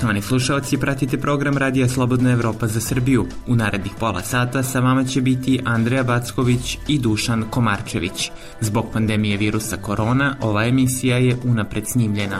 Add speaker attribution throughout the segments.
Speaker 1: Poštovani slušalci, pratite program Radija Slobodna Evropa za Srbiju. U narednih pola sata sa vama će biti Andreja Backović i Dušan Komarčević. Zbog pandemije virusa korona, ova emisija je unapred snimljena.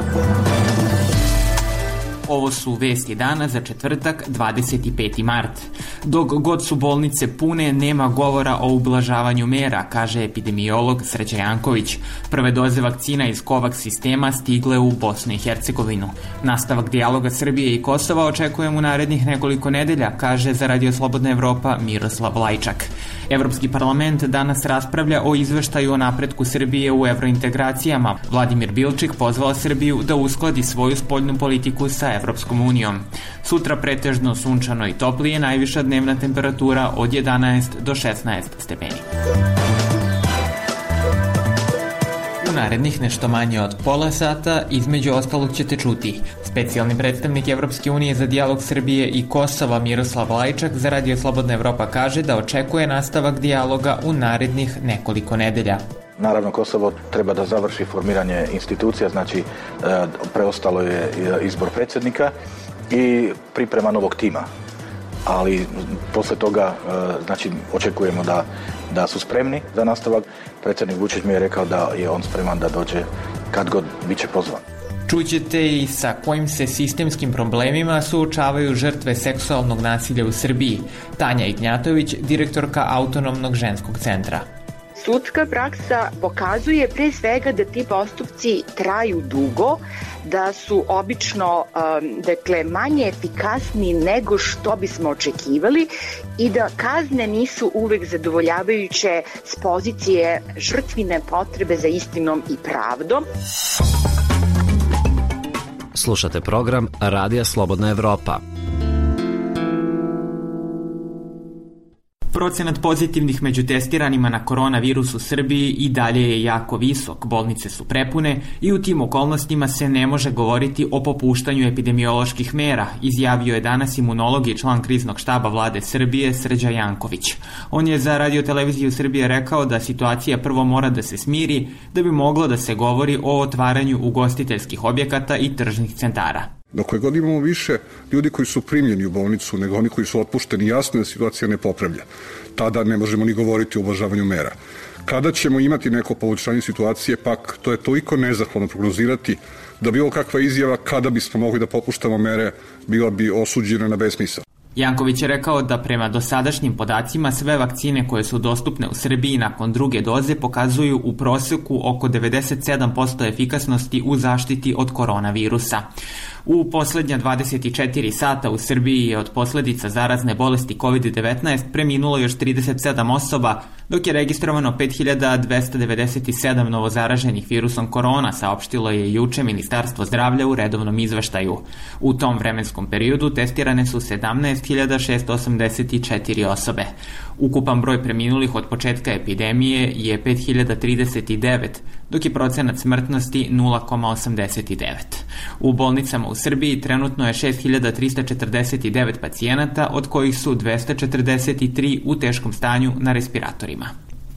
Speaker 1: Ovo su vesti dana za četvrtak, 25. mart. Dok god su bolnice pune, nema govora o ublažavanju mera, kaže epidemiolog Srđan Janković. Prve doze vakcina iz COVAX sistema stigle u Bosnu i Hercegovinu. Nastavak dijaloga Srbije i Kosova očekujem u narednih nekoliko nedelja, kaže za Radio Slobodna Evropa Miroslav Lajčak. Evropski parlament danas raspravlja o izveštaju o napretku Srbije u evrointegracijama. Vladimir Bilčik pozvao Srbiju da uskladi svoju spoljnu politiku sa Evropskom unijom. Sutra pretežno sunčano i toplije, najviša dnevna temperatura od 11 do 16 stepeni. U narednih nešto manje od pola sata, između ostalog ćete čuti. Specijalni predstavnik Evropske unije za dijalog Srbije i Kosova Miroslav Lajčak za Radio Slobodna Evropa kaže da očekuje nastavak dijaloga u narednih nekoliko nedelja.
Speaker 2: Naravno, Kosovo treba da završi formiranje institucija, znači preostalo je izbor predsjednika i priprema novog tima. Ali posle toga, znači, očekujemo da su spremni za nastavak. Predsjednik Vučić mi je rekao da je on spreman da dođe kad god biće pozvan.
Speaker 1: Čućete i sa kojim se sistemskim problemima suočavaju žrtve seksualnog nasilja u Srbiji. Tanja Ignjatović, direktorka Autonomnog ženskog centra.
Speaker 3: Sudska praksa pokazuje pre svega da ti postupci traju dugo, da su obično manje efikasni nego što bismo očekivali i da kazne nisu uvek zadovoljavajuće s pozicije žrtvine potrebe za istinom i pravdom.
Speaker 4: Slušate program Radija Slobodna Evropa.
Speaker 1: Procenat pozitivnih među testiranima na koronavirus u Srbiji i dalje je jako visok, bolnice su prepune i u tim okolnostima se ne može govoriti o popuštanju epidemioloških mera, izjavio je danas imunolog i član kriznog štaba vlade Srbije Srđan Janković. On je za Radio-televiziju Srbije rekao da situacija prvo mora da se smiri da bi moglo da se govori o otvaranju ugostiteljskih objekata i tržnih centara.
Speaker 5: Dok god imamo više ljudi koji su primljeni u bolnicu nego oni koji su otpušteni, jasno je da situacija ne popravlja. Tada ne možemo ni govoriti o ublažavanju mera. Kada ćemo imati neko poboljšanje situacije, pak to je toliko nezahvalno prognozirati da bilo kakva izjava kada bismo mogli da popuštamo mere bila bi osuđena na besmisao.
Speaker 1: Janković je rekao da prema dosadašnjim podacima sve vakcine koje su dostupne u Srbiji nakon druge doze pokazuju u proseku oko 97% efikasnosti u zaštiti od koronavirusa. U poslednja 24 sata u Srbiji je od posledica zarazne bolesti COVID-19 preminulo još 37 osoba, dok je registrovano 5297 novozaraženih virusom korona, saopštilo je juče Ministarstvo zdravlja u redovnom izveštaju. U tom vremenskom periodu testirane su 17.684 osobe. Ukupan broj preminulih od početka epidemije je 5039, dok je procenat smrtnosti 0,89. U bolnicama u Srbiji trenutno je 6349 pacijenata, od kojih su 243 u teškom stanju na respiratorima.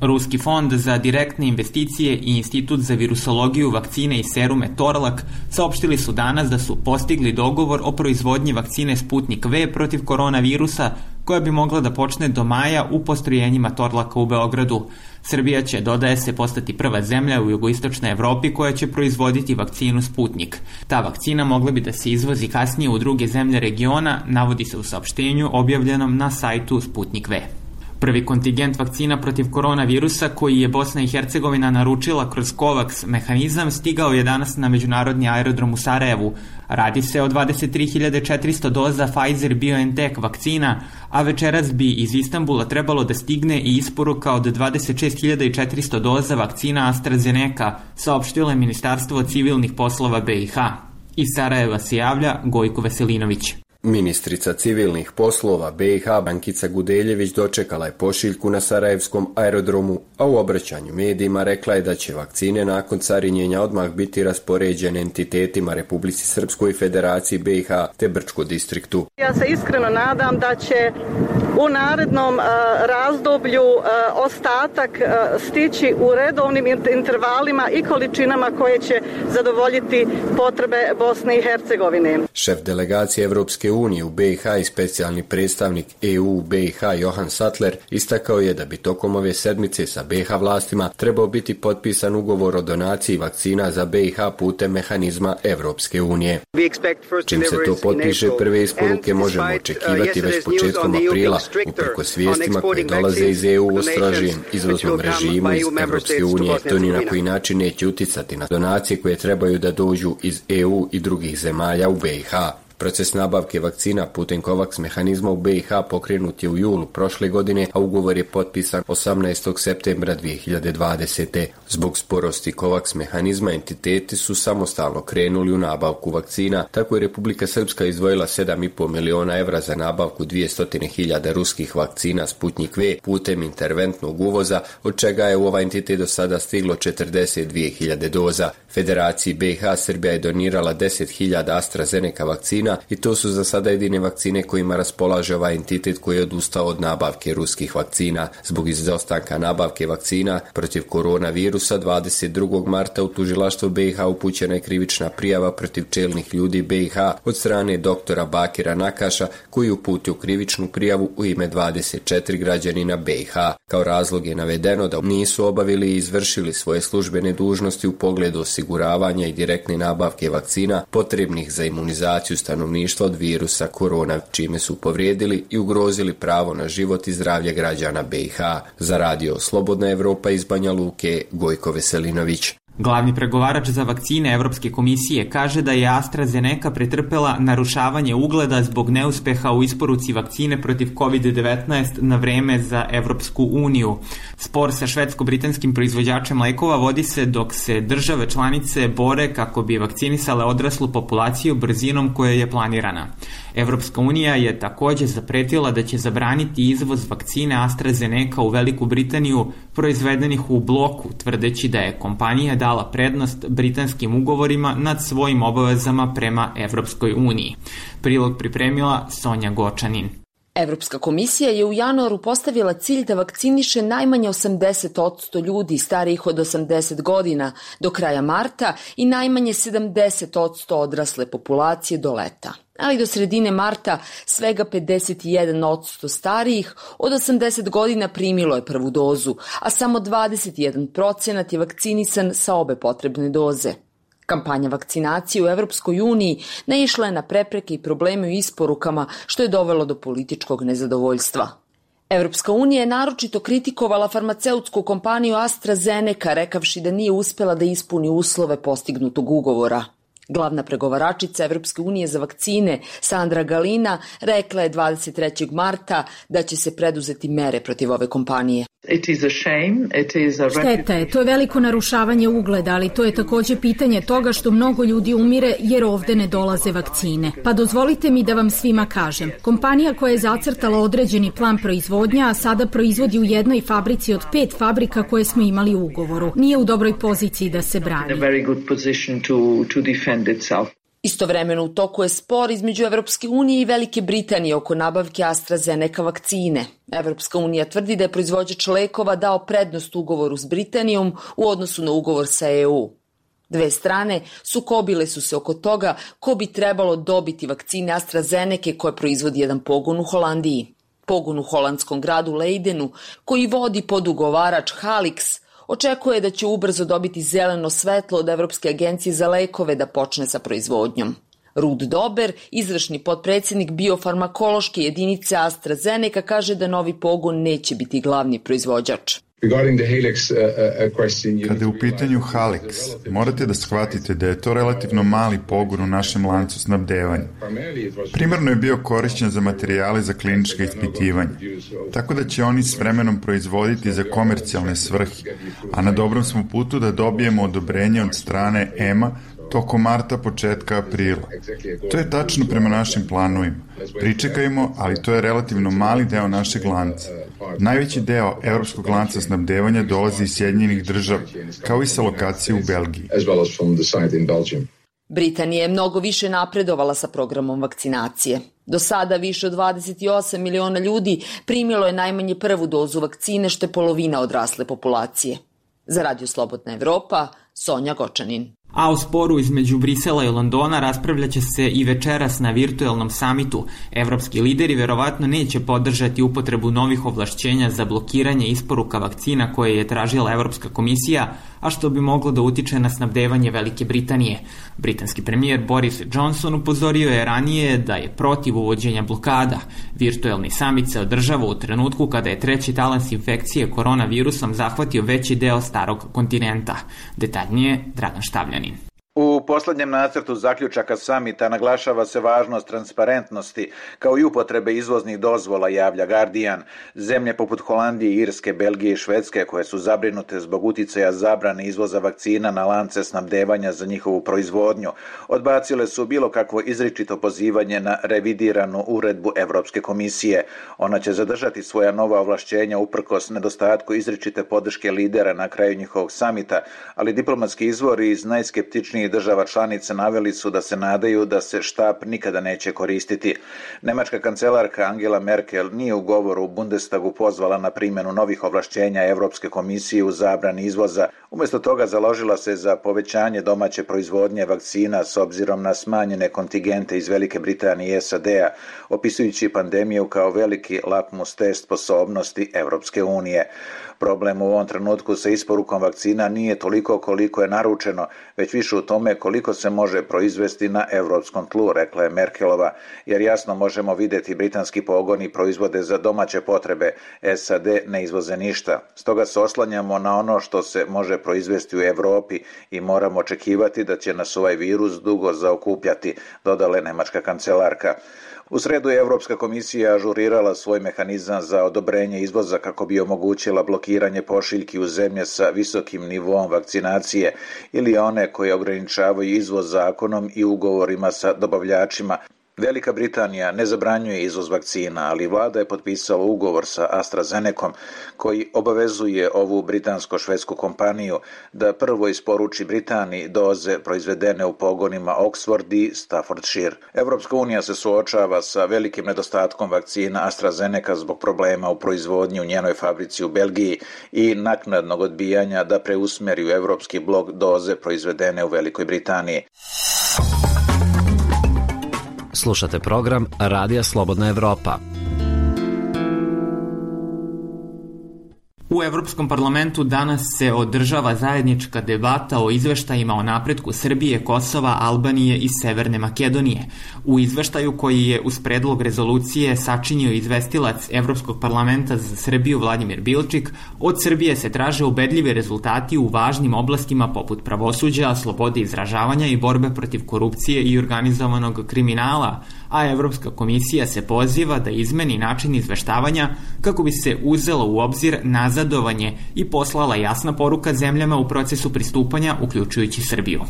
Speaker 1: Ruski fond za direktne investicije i Institut za virusologiju, vakcine i serume Torlak saopštili su danas da su postigli dogovor o proizvodnji vakcine Sputnik V protiv koronavirusa, koja bi mogla da počne do maja u postrojenjima Torlaka u Beogradu. Srbija će, dodaje se, postati prva zemlja u jugoistočnoj Evropi koja će proizvoditi vakcinu Sputnik. Ta vakcina mogla bi da se izvozi kasnije u druge zemlje regiona, navodi se u saopštenju objavljenom na sajtu Sputnik V. Prvi kontingent vakcina protiv koronavirusa koji je Bosna i Hercegovina naručila kroz COVAX mehanizam stigao je danas na međunarodni aerodrom u Sarajevu. Radi se o 23.400 doza Pfizer-BioNTech vakcina, a večeras bi iz Istanbula trebalo da stigne i isporuka od 26.400 doza vakcina AstraZeneca, saopštilo je Ministarstvo civilnih poslova BiH. Iz Sarajeva se javlja Gojko Veselinović.
Speaker 6: Ministrica civilnih poslova BiH Brankica Gudeljević dočekala je pošiljku na Sarajevskom aerodromu, a u obraćanju medijima rekla je da će vakcine nakon carinjenja odmah biti raspoređene entitetima Republici Srpskoj, Federaciji BiH te Brčko distriktu.
Speaker 7: Ja se iskreno nadam da će u narednom razdoblju ostatak stići u redovnim intervalima i količinama koje će zadovoljiti potrebe Bosne i Hercegovine.
Speaker 6: Šef delegacije Evropske unije u BiH i specijalni predstavnik EU u BiH Johan Sattler istakao je da bi tokom ove sedmice sa BiH vlastima trebao biti potpisan ugovor o donaciji vakcina za BiH putem mehanizma Evropske unije. Čim se to potpiše, prve isporuke možemo očekivati već početkom aprila, uprkos vijestima koje dolaze iz EU o strožijem izvoznom režimu iz Evropske unije. To ni na koji način neće uticati na donacije koje trebaju da dođu iz EU i drugih zemalja u BiH. Proces nabavke vakcina putem COVAX mehanizma u BiH pokrenut je u julu prošle godine, a ugovor je potpisan 18. septembra 2020. Zbog sporosti COVAX mehanizma entiteti su samostalno krenuli u nabavku vakcina, tako je Republika Srpska izdvojila 7,5 miliona evra za nabavku 200.000 ruskih vakcina Sputnik V putem interventnog uvoza, od čega je u ovaj entitet do sada stiglo 42.000 doza. Federaciji BiH Srbija je donirala 10.000 AstraZeneca vakcina i to su za sada jedine vakcine kojima raspolaže ovaj entitet koji je odustao od nabavke ruskih vakcina. Zbog izostanka nabavke vakcina protiv koronavirusa 22. marta u tužilaštvo BiH upućena je krivična prijava protiv čelnih ljudi BiH od strane doktora Bakira Nakaša, koji uputio krivičnu prijavu u ime 24 građanina BiH. Kao razlog je navedeno da nisu obavili i izvršili svoje službene dužnosti u pogledu osiguravanja i direktne nabavke vakcina potrebnih za imunizaciju stanovništva od virusa korona, čime su povrijedili i ugrozili pravo na život i zdravlje građana BiH. Za Radio Slobodna Evropa iz Banja Luke, Gojko Veselinović.
Speaker 1: Glavni pregovarač za vakcine Evropske komisije kaže da je AstraZeneca pretrpela narušavanje ugleda zbog neuspeha u isporuci vakcine protiv COVID-19 na vreme za Evropsku uniju. Spor sa švedsko-britanskim proizvođačem lekova vodi se dok se države članice bore kako bi vakcinisale odraslu populaciju brzinom koja je planirana. Evropska unija je također zapretila da će zabraniti izvoz vakcine AstraZeneca u Veliku Britaniju proizvedenih u bloku, tvrdeći da je kompanija dala prednost britanskim ugovorima nad svojim obavezama prema Evropskoj uniji. Prilog pripremila Sonja Gočanin.
Speaker 8: Evropska komisija je u januaru postavila cilj da vakciniše najmanje 80% ljudi starijih od 80 godina do kraja marta i najmanje 70% odrasle populacije do leta. Ali do sredine marta svega 51% starijih od 80 godina primilo je prvu dozu, a samo 21% je vakcinisan sa obe potrebne doze. Kampanja vakcinacije u Evropskoj uniji naišla je na prepreke i probleme u isporukama, što je dovelo do političkog nezadovoljstva. Evropska unija je naročito kritikovala farmaceutsku kompaniju AstraZeneca, rekavši da nije uspela da ispuni uslove postignutog ugovora. Glavna pregovaračica Evropske unije za vakcine, Sandra Galina, rekla je 23. marta da će se preduzeti mere protiv ove kompanije.
Speaker 9: Šteta je, to je veliko narušavanje ugleda, ali to je također pitanje toga što mnogo ljudi umire jer ovde ne dolaze vakcine. Pa dozvolite mi da vam svima kažem. Kompanija koja je zacrtala određeni plan proizvodnja, a sada proizvodi u jednoj fabrici od 5 fabrika koje smo imali u ugovoru, nije u dobroj poziciji da se brani.
Speaker 8: Istovremeno u toku je spor između Evropske unije i Velike Britanije oko nabavke AstraZeneca vakcine. Evropska unija tvrdi da je proizvođač lekova dao prednost ugovoru s Britanijom u odnosu na ugovor sa EU. Dve strane sukobile su se oko toga ko bi trebalo dobiti vakcine AstraZeneca koje proizvodi jedan pogon u Holandiji. Pogon u holandskom gradu Leidenu, koji vodi podugovarač Halix, očekuje da će ubrzo dobiti zeleno svetlo od Evropske agencije za lekove da počne sa proizvodnjom. Rud Dober, izvršni potpredsjednik biofarmakološke jedinice AstraZeneca, kaže da novi pogon neće biti glavni proizvođač.
Speaker 10: Kada je u pitanju Halix, morate da shvatite da je to relativno mali pogon u našem lancu snabdevanja. Primarno je bio korišćen za materijale za klinička ispitivanja, tako da će oni s vremenom proizvoditi za komercijalne svrhe, a na dobrom smo putu da dobijemo odobrenje od strane EMA tokom marta, početka aprila. To je tačno prema našim planovima. Pričekajmo, ali to je relativno mali deo našeg lanca. Najveći deo evropskog lanca snabdevanja dolazi iz Sjedinjenih Država, kao i sa lokacije u Belgiji.
Speaker 8: Britanija je mnogo više napredovala sa programom vakcinacije. Do sada više od 28 miliona ljudi primilo je najmanje prvu dozu vakcine, što je polovina odrasle populacije. Za Radio Slobodna Evropa, Sonja Gočanin.
Speaker 1: A o sporu između Brisela i Londona raspravljaće se i večeras na virtuelnom samitu. Evropski lideri verovatno neće podržati upotrebu novih ovlašćenja za blokiranje isporuka vakcina koje je tražila Evropska komisija, a što bi moglo da utiče na snabdevanje Velike Britanije. Britanski premijer Boris Johnson upozorio je ranije da je protiv uvođenja blokada. Virtuelni samit se održava u trenutku kada je treći talans infekcije koronavirusom zahvatio veći deo starog kontinenta. Detaljnije Dragan Štavljanin.
Speaker 11: U poslednjem nacrtu zaključaka samita naglašava se važnost transparentnosti kao i upotrebe izvoznih dozvola, javlja Guardian. Zemlje poput Holandije, Irske, Belgije i Švedske, koje su zabrinute zbog uticaja zabrane izvoza vakcina na lance snabdevanja za njihovu proizvodnju, odbacile su bilo kakvo izričito pozivanje na revidiranu uredbu Evropske komisije. Ona će zadržati svoja nova ovlašćenja uprkos nedostatku izričite podrške lidera na kraju njihovog samita, ali diplomatski izvori iz najskeptičnijih država članica naveli su da se nadaju da se štap nikada neće koristiti. Nemačka kancelarka Angela Merkel nije u govoru u Bundestagu pozvala na primjenu novih ovlašćenja Evropske komisije u zabrani izvoza. Umjesto toga založila se za povećanje domaće proizvodnje vakcina s obzirom na smanjene kontingente iz Velike Britanije i SAD-a, opisujući pandemiju kao veliki lakmus test sposobnosti Evropske unije. Problem u ovom trenutku sa isporukom vakcina nije toliko koliko je naručeno, već više u tome koliko se može proizvesti na evropskom tlu, rekla je Merkelova, jer jasno možemo vidjeti britanski pogoni proizvode za domaće potrebe, SAD ne izvoze ništa. Stoga se oslanjamo na ono što se može proizvesti u Evropi i moramo očekivati da će nas ovaj virus dugo zaokupljati, dodala je nemačka kancelarka. U sredu je Evropska komisija ažurirala svoj mehanizam za odobrenje izvoza kako bi omogućila blokiranje pošiljki u zemlje sa visokim nivoom vakcinacije ili one koje ograničavaju izvoz zakonom i ugovorima sa dobavljačima. Velika Britanija ne zabranjuje izvoz vakcina, ali vlada je potpisala ugovor sa AstraZenecom koji obavezuje ovu britansko-švedsku kompaniju da prvo isporuči Britaniji doze proizvedene u pogonima Oxford i Staffordshire. Evropska unija se suočava sa velikim nedostatkom vakcina AstraZeneca zbog problema u proizvodnji u njenoj fabrici u Belgiji i naknadnog odbijanja da preusmeri u evropski blok doze proizvedene u Velikoj Britaniji.
Speaker 4: Slušate program Radija Slobodna Evropa.
Speaker 1: U Evropskom parlamentu danas se održava zajednička debata o izveštajima o napretku Srbije, Kosova, Albanije i Severne Makedonije. U izveštaju koji je uz predlog rezolucije sačinio izvestilac Evropskog parlamenta za Srbiju Vladimir Bilčik, od Srbije se traže ubedljivi rezultati u važnim oblastima poput pravosuđa, slobode izražavanja i borbe protiv korupcije i organizovanog kriminala, a Evropska komisija se poziva da izmeni način izveštavanja kako bi se uzelo u obzir nazadovanje i poslala jasna poruka zemljama u procesu pristupanja, uključujući Srbiju.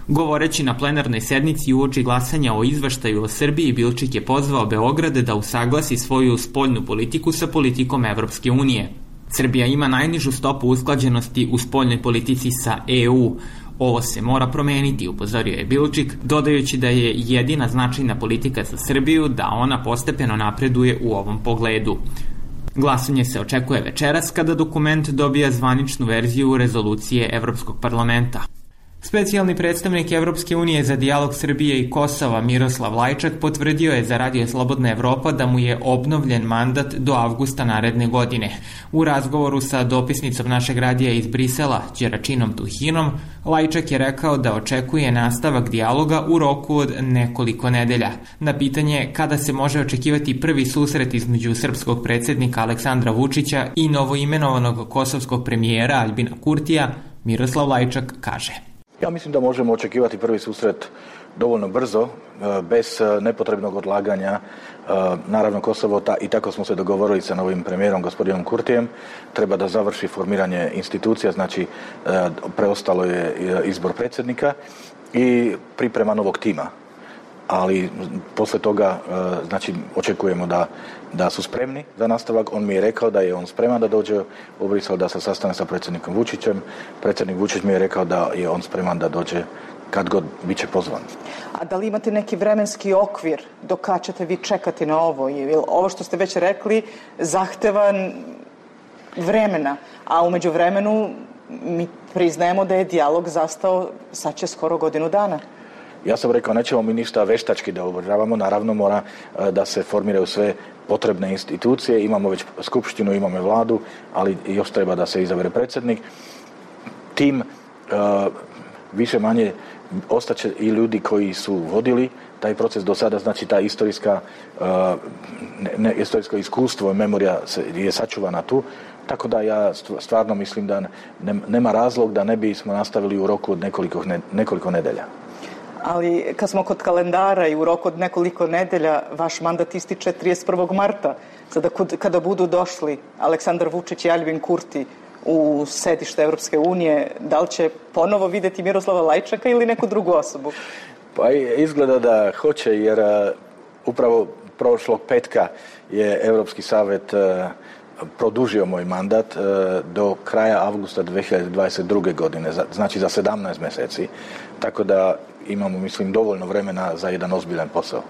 Speaker 1: Govoreći na plenarnoj sednici uoči glasanja o izveštaju o Srbiji, Bilčik je pozvao Beograd da usaglasi svoju spoljnu politiku sa politikom Evropske unije. Srbija ima najnižu stopu usklađenosti u spoljnoj politici sa EU. Ovo se mora promeniti, upozorio je Bilčik, dodajući da je jedina značajna politika za Srbiju da ona postepeno napreduje u ovom pogledu. Glasanje se očekuje večeras kada dokument dobija zvaničnu verziju rezolucije Evropskog parlamenta. Specijalni predstavnik Evropske unije za dijalog Srbije i Kosova Miroslav Lajčak potvrdio je za Radio Slobodna Evropa da mu je obnovljen mandat do avgusta naredne godine. U razgovoru sa dopisnicom našeg radija iz Brisela, Đeračinom Tuhinom, Lajčak je rekao da očekuje nastavak dijaloga u roku od nekoliko nedelja. Na pitanje kada se može očekivati prvi susret između srpskog predsjednika Aleksandra Vučića i novoimenovanog kosovskog premijera Aljbina Kurtija, Miroslav Lajčak kaže:
Speaker 2: Ja mislim da možemo očekivati prvi susret dovoljno brzo, bez nepotrebnog odlaganja. Naravno, Kosovo, i tako smo se dogovorili sa novim premijerom, gospodinom Kurtijem, treba da završi formiranje institucija, znači preostalo je izbor predsjednika i priprema novog tima. Ali posle toga, znači, očekujemo da su spremni za nastavak. On mi je rekao da je on spreman da dođe u Brisel, da se sastane sa predsjednikom Vučićem. Predsjednik Vučić mi je rekao da je on spreman da dođe kad god bit će pozvan.
Speaker 12: A da li imate neki vremenski okvir do kad ćete vi čekati na ovo? Ovo što ste već rekli zahteva vremena, a umeđu vremenu mi priznajemo da je dijalog zastao sad će skoro godinu dana.
Speaker 2: Ja sam rekao, nećemo mi ništa veštački da obrazavamo, naravno mora da se formiraju sve potrebne institucije, imamo već skupštinu, imamo vladu, ali još treba da se izabere predsjednik. Tim više manje ostaće i ljudi koji su vodili taj proces do sada, znači ta historijsko iskustvo i memorija je sačuvana tu, tako da ja stvarno mislim da nema razlog da ne bismo nastavili u roku od nekoliko nedelja.
Speaker 12: Ali kad smo kod kalendara i u roku od nekoliko nedelja, vaš mandat ističe 31. marta. Sada kada budu došli Aleksandar Vučić i Aljbin Kurti u sedište Evropske unije, da li će ponovo vidjeti Miroslava Lajčaka ili neku drugu osobu?
Speaker 2: Pa izgleda da hoće, jer upravo prošlog petka je Europski savjet produžio moj mandat do kraja avgusta 2022. godine, znači za 17 mjeseci. Tako da imamo, mislim, dovoljno vremena za jedan ozbiljan posao.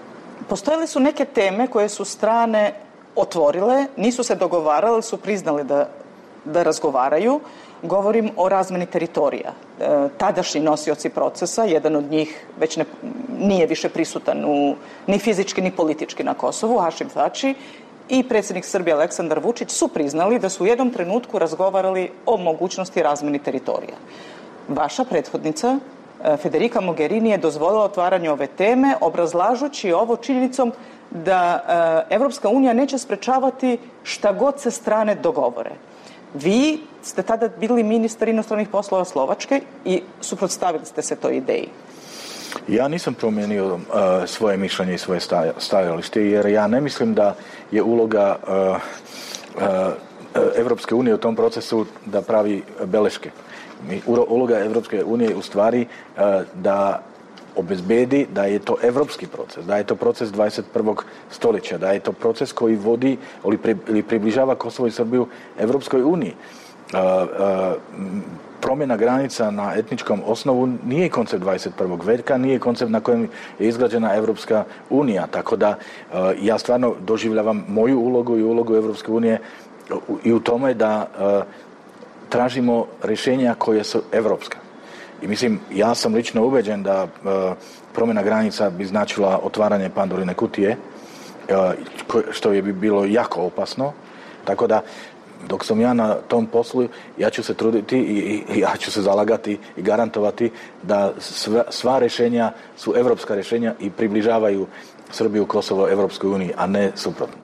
Speaker 12: Postojale su neke teme koje su strane otvorile, nisu se dogovarale, ali su priznali da razgovaraju. Govorim o razmeni teritorija. Tadašnji nosioci procesa, jedan od njih već nije više prisutan ni fizički ni politički na Kosovu, Hašim Tači, i predsjednik Srbije Aleksandar Vučić su priznali da su u jednom trenutku razgovarali o mogućnosti razmeni teritorija. Vaša prethodnica Federica Mogherini je dozvolila otvaranje ove teme, obrazlažući ovo činjenicom da Evropska unija neće sprečavati šta god se strane dogovore. Vi ste tada bili ministar inostranih poslova Slovačke i suprotstavili ste se toj ideji.
Speaker 2: Ja nisam promijenio svoje mišljenje i svoje stajalište, jer ja ne mislim da je uloga Evropske unije u tom procesu da pravi beleške. Uloga Evropske unije je u stvari da obezbedi da je to evropski proces, da je to proces 21. stoljeća, da je to proces koji vodi ili približava Kosovo i Srbiju Evropskoj uniji. Promjena granica na etničkom osnovu nije koncept 21. veka, nije koncept na kojem je izgrađena Evropska unija, tako da ja stvarno doživljavam moju ulogu i ulogu Evropske unije i u tome da tražimo rješenja koje su evropska. I mislim, ja sam lično ubeđen da promjena granica bi značila otvaranje Pandorine kutije, što je bi bilo jako opasno, tako da dok sam ja na tom poslu, ja ću se truditi i ja ću se zalagati i garantovati da sva rješenja su evropska rješenja i približavaju Srbiju, Kosovo Evropskoj uniji, a ne suprotno.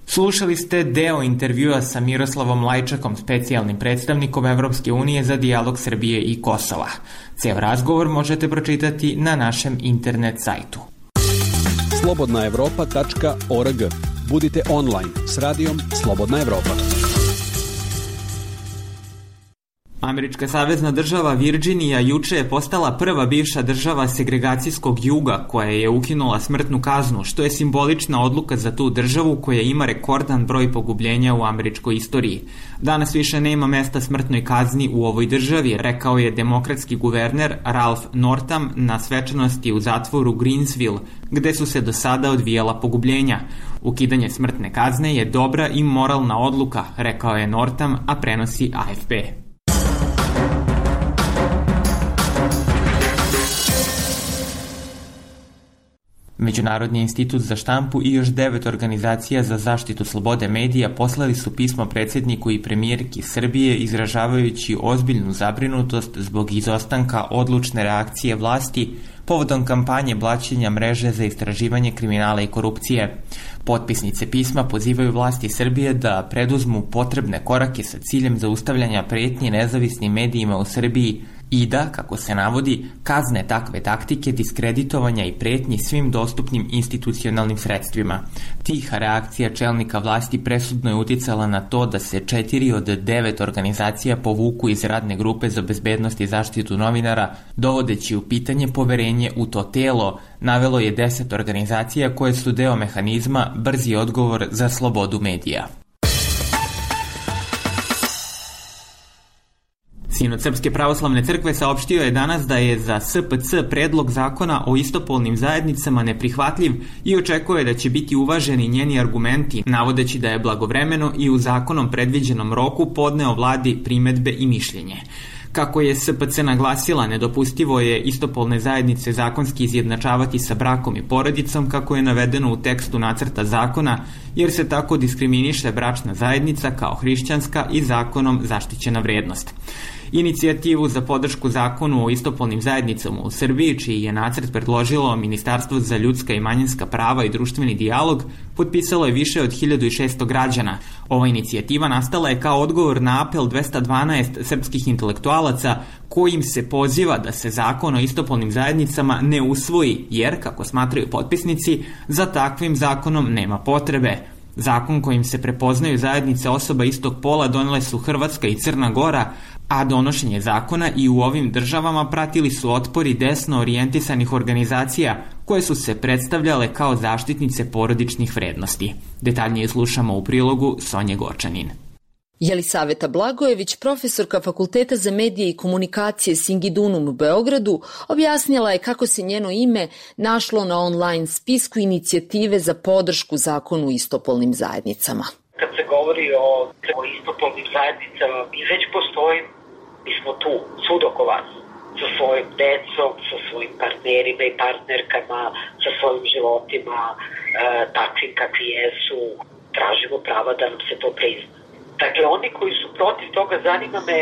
Speaker 1: Slušali ste deo intervjua sa Miroslavom Lajčakom, specijalnim predstavnikom Evropske unije za dijalog Srbije i Kosova. Ceo razgovor možete pročitati na našem internet sajtu.
Speaker 13: slobodnaevropa.org. Budite online s radijom Slobodna Evropa.
Speaker 1: Američka savezna država Virđinija juče je postala prva bivša država segregacijskog juga koja je ukinula smrtnu kaznu, što je simbolična odluka za tu državu koja ima rekordan broj pogubljenja u američkoj istoriji. Danas više nema mesta smrtnoj kazni u ovoj državi, rekao je demokratski guverner Ralph Northam na svečanosti u zatvoru Greensville, gde su se do sada odvijala pogubljenja. Ukidanje smrtne kazne je dobra i moralna odluka, rekao je Northam, a prenosi AFP. Međunarodni institut za štampu i još 9 organizacija za zaštitu slobode medija poslali su pismo predsjedniku i premijerki Srbije izražavajući ozbiljnu zabrinutost zbog izostanka odlučne reakcije vlasti povodom kampanje blaćenja mreže za istraživanje kriminala i korupcije. Potpisnice pisma pozivaju vlasti Srbije da preduzmu potrebne korake sa ciljem zaustavljanja pretnje nezavisnim medijima u Srbiji, i da, kako se navodi, kazne takve taktike diskreditovanja i pretnji svim dostupnim institucionalnim sredstvima. Tiha reakcija čelnika vlasti presudno je uticala na to da se 4 od 9 organizacija povuku iz radne grupe za bezbednost i zaštitu novinara, dovodeći u pitanje poverenje u to telo, navelo je 10 organizacija koje su deo mehanizma Brzi odgovor za slobodu medija. Sinod Srpske pravoslavne crkve saopštio je danas da je za SPC predlog zakona o istopolnim zajednicama neprihvatljiv i očekuje da će biti uvaženi njeni argumenti, navodeći da je blagovremeno i u zakonom predviđenom roku podneo vladi primedbe i mišljenje. Kako je SPC naglasila, nedopustivo je istopolne zajednice zakonski izjednačavati sa brakom i porodicom, kako je navedeno u tekstu nacrta zakona, jer se tako diskriminiše bračna zajednica kao hrišćanska i zakonom zaštićena vrednost. Inicijativu za podršku zakonu o istopolnim zajednicama u Srbiji, čiji je nacrt predložilo Ministarstvo za ljudska i manjinska prava i društveni dijalog, potpisalo je više od 1600 građana. Ova inicijativa nastala je kao odgovor na apel 212 srpskih intelektualaca kojim se poziva da se zakon o istopolnim zajednicama ne usvoji, jer, kako smatraju potpisnici, za takvim zakonom nema potrebe. Zakon kojim se prepoznaju zajednice osoba istog pola donele su Hrvatska i Crna Gora, a donošenje zakona i u ovim državama pratili su otpori desno orijentisanih organizacija koje su se predstavljale kao zaštitnice porodičnih vrednosti. Detaljnije slušamo u prilogu Sonje Gočanin.
Speaker 8: Jelisaveta Blagojević, profesorka Fakulteta za medije i komunikacije Singidunum u Beogradu, objasnila je kako se njeno ime našlo na online spisku inicijative za podršku zakonu o istopolnim zajednicama.
Speaker 14: Kad se govori o istopolnim zajednicama, mi već postoji, mi smo tu, svud oko vas, sa svojim decom, sa svojim partnerima i partnerkama, sa svojim životima, takvim kakvi jesu, tražimo prava da nam se to prizna. Dakle, oni koji su protiv toga, zanima me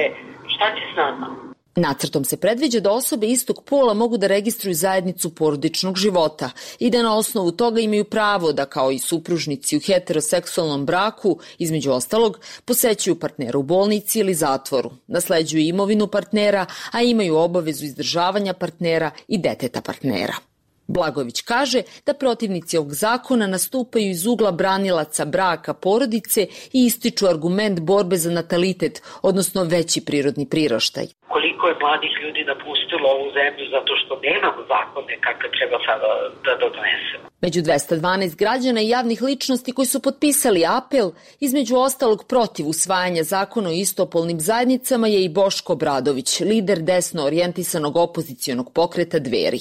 Speaker 14: šta će s nama.
Speaker 8: Nacrtom se predviđa da osobe istog pola mogu da registruju zajednicu porodičnog života i da na osnovu toga imaju pravo da, kao i supružnici u heteroseksualnom braku, između ostalog, posećuju partnera u bolnici ili zatvoru, nasleđuju imovinu partnera, a imaju obavezu izdržavanja partnera i deteta partnera. Blagojević kaže da protivnici ovog zakona nastupaju iz ugla branilaca braka porodice i ističu argument borbe za natalitet, odnosno veći prirodni priraštaj.
Speaker 14: Koliko je mladih ljudi napustilo ovu zemlju zato što nemamo zakone kakve treba sada da donesemo.
Speaker 8: Među 212 građana i javnih ličnosti koji su potpisali apel, između ostalog protiv usvajanja zakona o istopolnim zajednicama, je i Boško Obradović, lider desno orijentisanog opozicionog pokreta Dveri.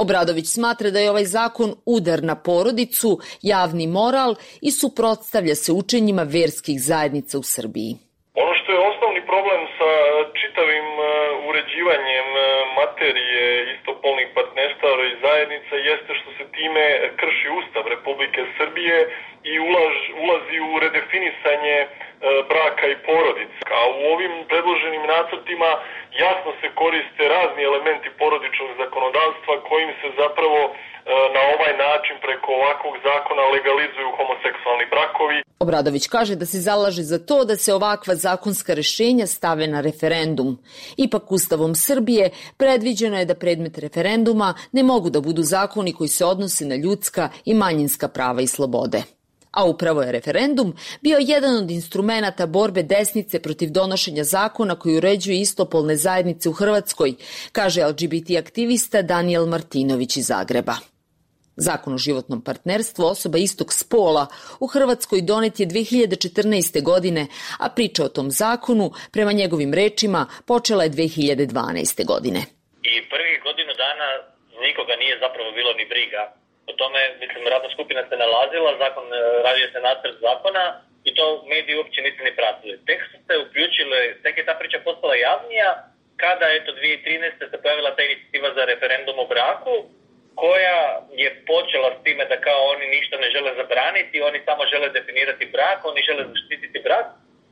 Speaker 8: Obradović smatra da je ovaj zakon udar na porodicu, javni moral i suprotstavlja se učenjima verskih zajednica u Srbiji.
Speaker 15: Ono što je osnovni problem sa čitavim uređivanjem materije istopolnih partnerstava i zajednica jeste što se time krši Ustav Republike Srbije i ulazi u redefinisanje braka i porodice. A u ovim predloženim nacrtima jasno se koriste razni elementi porodičnog zakonodavstva kojim se zapravo na ovaj način preko ovakvog zakona legalizuju homoseksualni brakovi.
Speaker 8: Obradović kaže da se zalaže za to da se ovakva zakonska rešenja stave na referendum. Ipak Ustavom Srbije predviđeno je da predmet referenduma ne mogu da budu zakoni koji se odnose na ljudska i manjinska prava i slobode. A upravo je referendum bio jedan od instrumenata borbe desnice protiv donošenja zakona koji uređuje istopolne zajednice u Hrvatskoj, kaže LGBT aktivista Danijel Martinović iz Zagreba. Zakon o životnom partnerstvu osoba istog spola u Hrvatskoj donet je 2014. godine, a priča o tom zakonu, prema njegovim rečima, počela je 2012. godine.
Speaker 16: I prvih godinu dana nikoga nije zapravo bilo ni briga. O tome, radna skupina se nalazila, radio se nacrt zakona i to mediji uopće nisu ni pratili. Tek su se uključile, tek je ta priča postala javnija kada, 2013. se pojavila ta inicijativa za referendum o braku, koja je počela s time da kao oni ništa ne žele zabraniti, oni samo žele definirati brak, oni žele zaštititi brak,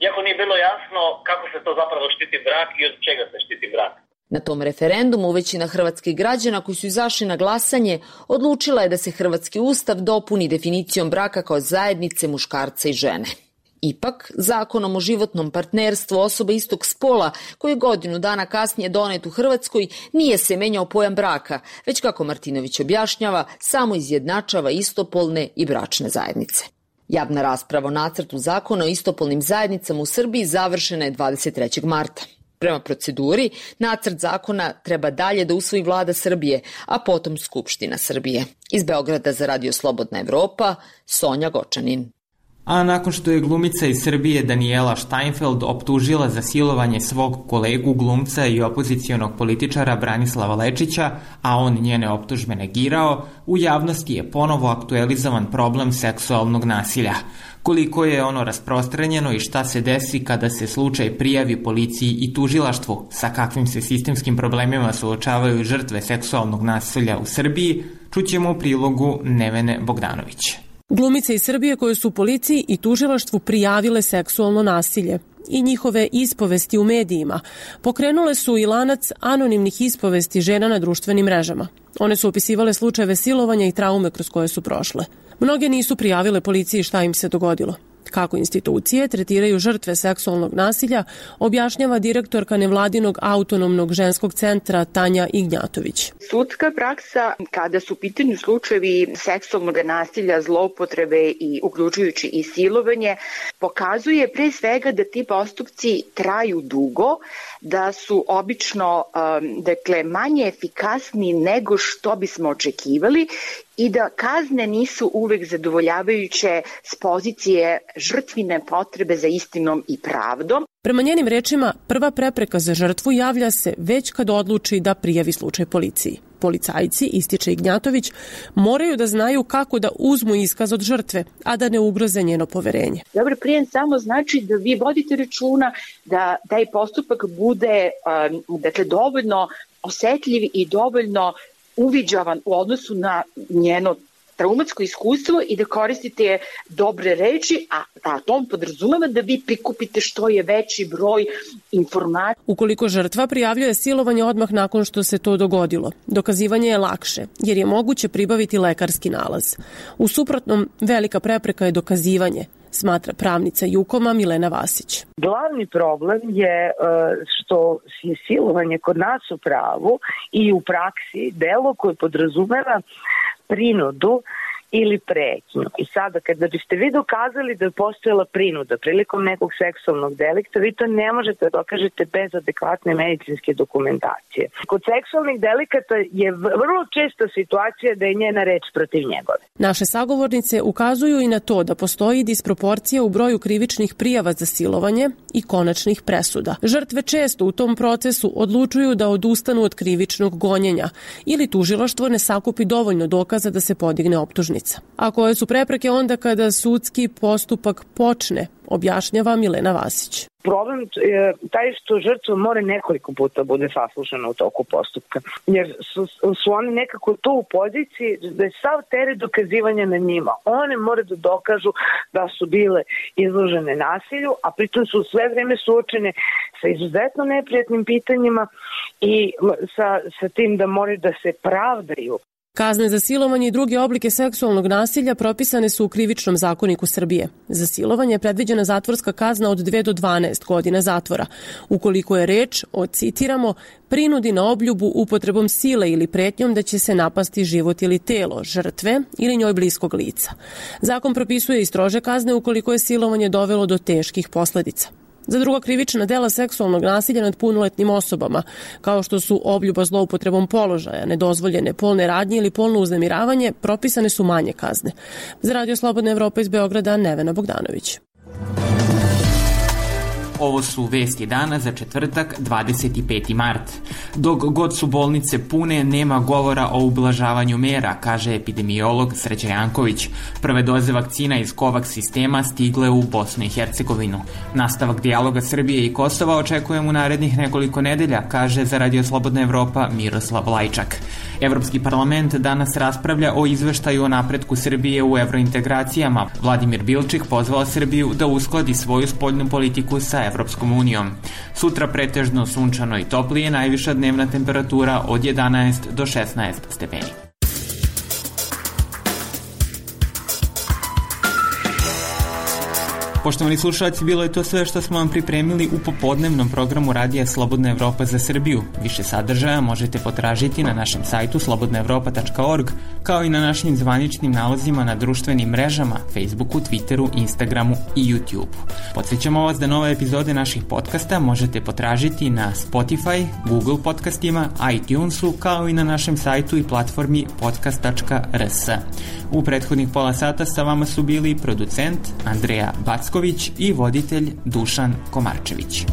Speaker 16: iako nije bilo jasno kako se to zapravo štiti brak i od čega se štiti brak.
Speaker 8: Na tom referendumu većina hrvatskih građana koji su izašli na glasanje odlučila je da se hrvatski ustav dopuni definicijom braka kao zajednice muškarca i žene. Ipak, zakonom o životnom partnerstvu osoba istog spola, koji je godinu dana kasnije donet u Hrvatskoj, nije se menjao pojam braka, već kako Martinović objašnjava, samo izjednačava istopolne i bračne zajednice. Javna rasprava o nacrtu zakona o istopolnim zajednicama u Srbiji završena je 23. marta. Prema proceduri, nacrt zakona treba dalje da usvoji Vlada Srbije, a potom Skupština Srbije. Iz Beograda za Radio Slobodna Evropa, Sonja Gočanin.
Speaker 1: A nakon što je glumica iz Srbije Daniela Steinfeld optužila za silovanje svog kolegu glumca i opozicionog političara Branislava Lečića, a on njene optužbe negirao, u javnosti je ponovo aktualizovan problem seksualnog nasilja. Koliko je ono rasprostranjeno i šta se desi kada se slučaj prijavi policiji i tužilaštvu, sa kakvim se sistemskim problemima suočavaju žrtve seksualnog nasilja u Srbiji, čućemo u prilogu Nevene Bogdanović.
Speaker 17: Glumice iz Srbije koje su policiji i tužilaštvu prijavile seksualno nasilje i njihove ispovesti u medijima pokrenule su i lanac anonimnih ispovesti žena na društvenim mrežama. One su opisivale slučajeve silovanja i traume kroz koje su prošle. Mnoge nisu prijavile policiji šta im se dogodilo. Kako institucije tretiraju žrtve seksualnog nasilja, objašnjava direktorka nevladinog autonomnog ženskog centra Tanja Ignjatović.
Speaker 3: Sudska praksa, kada su u pitanju slučajevi seksualnog nasilja, zloupotrebe i uključujući i silovanje, pokazuje pre svega da ti postupci traju dugo, da su obično manje efikasni nego što bismo očekivali i da kazne nisu uvek zadovoljavajuće s pozicije žrtvine potrebe za istinom i pravdom.
Speaker 17: Prema njenim rečima, prva prepreka za žrtvu javlja se već kad odluči da prijavi slučaj policiji. Policajci, ističe Ignjatović, moraju da znaju kako da uzmu iskaz od žrtve, a da ne ugroze njeno poverenje.
Speaker 3: Dobar prijem samo znači da vi vodite računa da taj postupak bude dovoljno osetljiv i dovoljno uviđavan u odnosu na njeno traumatsko iskustvo i da koristite dobre reči, a to podrazumeva da vi prikupite što je veći broj informacija.
Speaker 17: Ukoliko žrtva prijavljuje silovanje odmah nakon što se to dogodilo, dokazivanje je lakše, jer je moguće pribaviti lekarski nalaz. U suprotnom, velika prepreka je dokazivanje, smatra pravnica Jukoma Milena Vasić.
Speaker 18: Glavni problem je što je silovanje kod nas u pravu i u praksi delo koje podrazumeva prinudu ili pretnju. I sada, kada biste vi dokazali da je postojala prinuda prilikom nekog seksualnog delikta, vi to ne možete da dokažete bez adekvatne medicinske dokumentacije. Kod seksualnih delikata je vrlo česta situacija da je njena reč protiv njegove.
Speaker 17: Naše sagovornice ukazuju i na to da postoji disproporcija u broju krivičnih prijava za silovanje i konačnih presuda. Žrtve često u tom procesu odlučuju da odustanu od krivičnog gonjenja ili tužilaštvo ne sakupi dovoljno dokaza da se podigne optužnica. A koje su prepreke onda kada sudski postupak počne, objašnjava Milena Vasić.
Speaker 18: Problem je taj što žrtva mora nekoliko puta bude saslušana u toku postupka, jer su oni nekako tu u poziciji da je sav teret dokazivanja na njima. One mora da dokažu da su bile izložene nasilju, a pritom su sve vreme suočene sa izuzetno neprijatnim pitanjima i sa tim da moraju da se pravdaju.
Speaker 17: Kazne za silovanje i druge oblike seksualnog nasilja propisane su u Krivičnom zakoniku Srbije. Za silovanje je predviđena zatvorska kazna od 2 do 12 godina zatvora. Ukoliko je reč o, citiramo, prinudi na obljubu upotrebom sile ili pretnjom da će se napasti život ili telo žrtve ili njoj bliskog lica. Zakon propisuje i strože kazne ukoliko je silovanje dovelo do teških posledica. Za druga krivična dela seksualnog nasilja nad punoletnim osobama, kao što su obljuba zloupotrebom položaja, nedozvoljene polne radnje ili polno uznemiravanje, propisane su manje kazne. Za Radio Slobodna Evropa iz Beograda, Nevena Bogdanović.
Speaker 1: Ovo su vesti dana za četvrtak, 25. mart. Dok god su bolnice pune, nema govora o ublažavanju mera, kaže epidemiolog Sreća Janković. Prve doze vakcina iz COVAX sistema stigle u Bosnu i Hercegovinu. Nastavak dijaloga Srbije i Kosova očekujem u narednih nekoliko nedelja, kaže za Radio Slobodna Evropa Miroslav Lajčak. Evropski parlament danas raspravlja o izveštaju o napretku Srbije u evrointegracijama. Vladimir Bilčik pozvao Srbiju da uskladi svoju spoljnu politiku sa Evropskom unijom. Sutra pretežno sunčano i toplije, najviša dnevna temperatura od 11 do 16 stepeni. Poštovani slušalci, bilo je to sve što smo vam pripremili u popodnevnom programu Radija Slobodna Evropa za Srbiju. Više sadržaja možete potražiti na našem sajtu slobodnaevropa.org, kao i na našim zvaničnim nalozima na društvenim mrežama, Facebooku, Twitteru, Instagramu i YouTubeu. Podsjećamo vas da nove epizode naših podcasta možete potražiti na Spotify, Google podcastima, iTunesu, kao i na našem sajtu i platformi podcast.rs. U prethodnih pola sata sa vama su bili producent Andreja Backović i voditelj Dušan Komarčević.